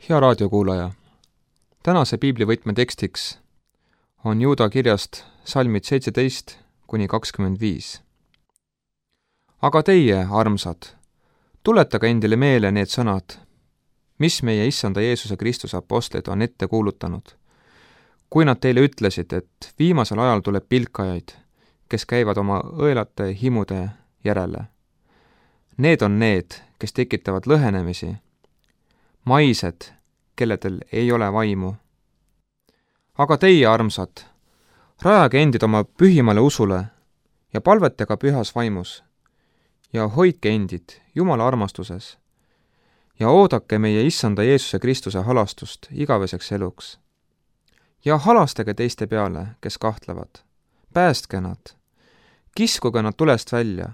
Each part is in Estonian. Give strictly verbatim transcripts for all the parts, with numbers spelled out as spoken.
Hea raadiokuulaja, tänase piiblivõtme tekstiks on Juuda kirjast salmid seitseteist kuni kakskümmend viis. Aga teie, armsad, tuletage endile meele need sõnad, mis meie Issanda Jeesuse Kristuse apostlid on ette kuulutanud, kui nad teile ütlesid, et viimasel ajal tuleb pilkajaid, kes käivad oma õelate himude järele. Need on need, kes tekitavad lõhenemisi, maised, kelledel ei ole vaimu. Aga teie, armsad, rajage endid oma pühimale usule ja palvetage pühas vaimus ja hoidke endid Jumala armastuses ja oodake meie Issanda Jeesuse Kristuse halastust igaveseks eluks. Ja halastage teiste peale, kes kahtlevad, päästke nad, kiskuge nad tulest välja.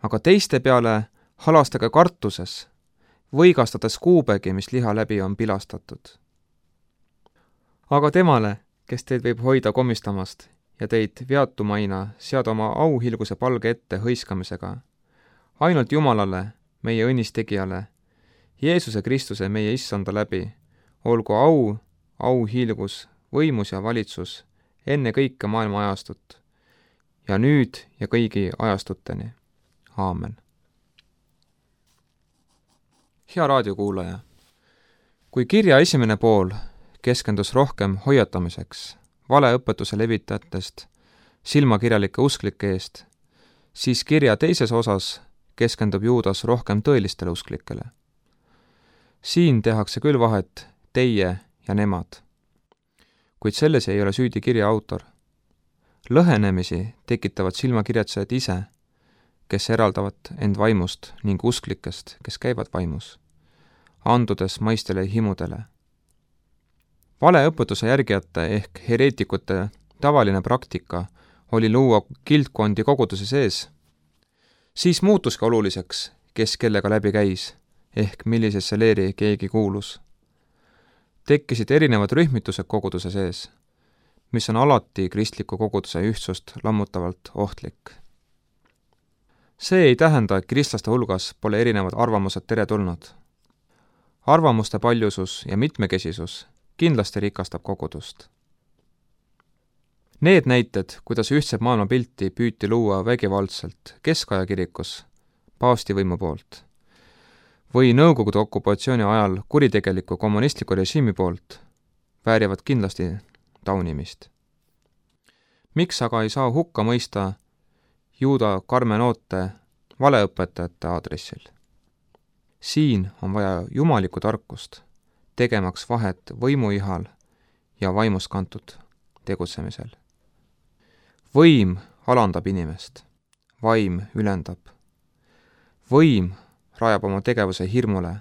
Aga teiste peale halastage kartuses, võigastades kuubegi, mis liha läbi on pilastatud. Aga temale, kes teid võib hoida komistamast ja teid veatumaina seada oma auhilguse palge ette hõiskamisega, ainult Jumalale, meie õnnistegijale, Jeesuse Kristuse meie Issanda läbi, olgu au, auhiilgus, võimus ja valitsus enne kõike maailma ajastut ja nüüd ja kõigi ajastuteni. Aamen. Hea raadiokuulaja, kui kirja esimene pool keskendus rohkem hoiatamiseks, valeõpetuse levitajatest, silmakirjalike usklike eest, siis kirja teises osas keskendub Juudas rohkem tõelistele usklikele. Siin tehakse küll vahet teie ja nemad, kuid selles ei ole süüdi kirja autor. Lõhenemisi tekitavad silmakirjatsejad ise, kes eraldavad end vaimust ning usklikest, kes käivad vaimus, andudes maistele himudele. Valeõpetuse järgijate ehk hereetikute tavaline praktika oli luua kildkondi koguduse sees, siis muutuski oluliseks, kes kellega läbi käis, ehk millisesse leeri keegi kuulus. Tekkisid erinevad rühmitused koguduse sees, mis on alati kristliku koguduse ühtsust lammutavalt ohtlik. See ei tähenda, et kristlaste hulgas pole erinevad arvamused teretulnud. Arvamuste paljusus ja mitmekesisus kindlasti rikastab kogudust. Need näited, kuidas ühtset maailmapilti püüti luua vägivaldselt keskaja kirikus paavstivõimu poolt või Nõukogude okupatsiooni ajal kuritegeliku kommunistliku režiimi poolt, väärivad kindlasti taunimist. Miks aga ei saa hukka mõista Juuda karmenoote valeõpetajate aadressil? Siin on vaja jumalikku tarkust, tegemaks vahet võimuihal ja vaimust kantud tegutsemisel. Võim alandab inimest, vaim ülendab. Võim rajab oma tegevuse hirmule,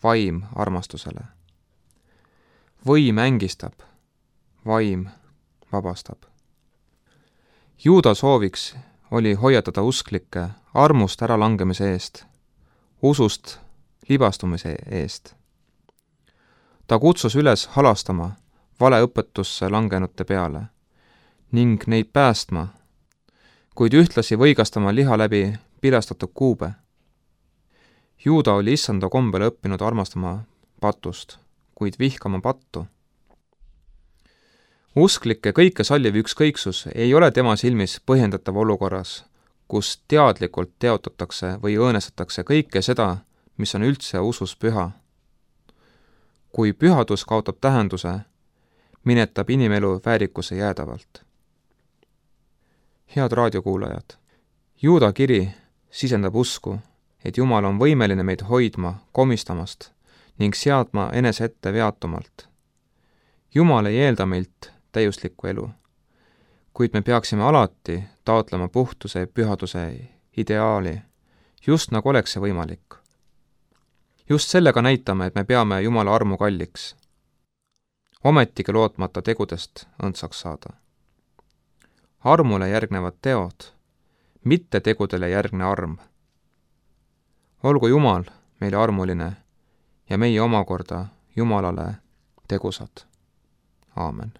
vaim armastusele. Võim ängistab, vaim vabastab. Juuda sooviks oli hoiatada usklikke armust äralangemise eest, usust libastumise eest. Ta kutsus üles halastama valeõpetusse langenute peale ning neid päästma, kuid ühtlasi võigastama liha läbi pilastatud kuube. Juuda oli Issanda kombel õppinud armastama patust, kuid vihkama pattu. Usklike kõike salliv ükskõiksus ei ole tema silmis põhjendatav olukorras, kus teadlikult teotatakse või õõnestatakse kõike seda, mis on üldse usus püha. Kui pühadus kaotab tähenduse, minetab inimelu väärikuse jäädavalt. Head raadiokuulajad, Juuda kiri sisendab usku, et Jumal on võimeline meid hoidma komistamast ning seadma enese ette veatumalt. Jumal ei eelda meilt täiuslikku elu, kuid me peaksime alati taotlema puhtuse ja pühaduse ideaali, just nagu oleks see võimalik. Just sellega näitame, et me peame Jumala armu kalliks, ometigi lootmata tegudest õndsaks saada. Armule järgnevad teod, mitte tegudele järgne arm. Olgu Jumal meile armuline ja meie omakorda Jumalale tegusad. Aamen.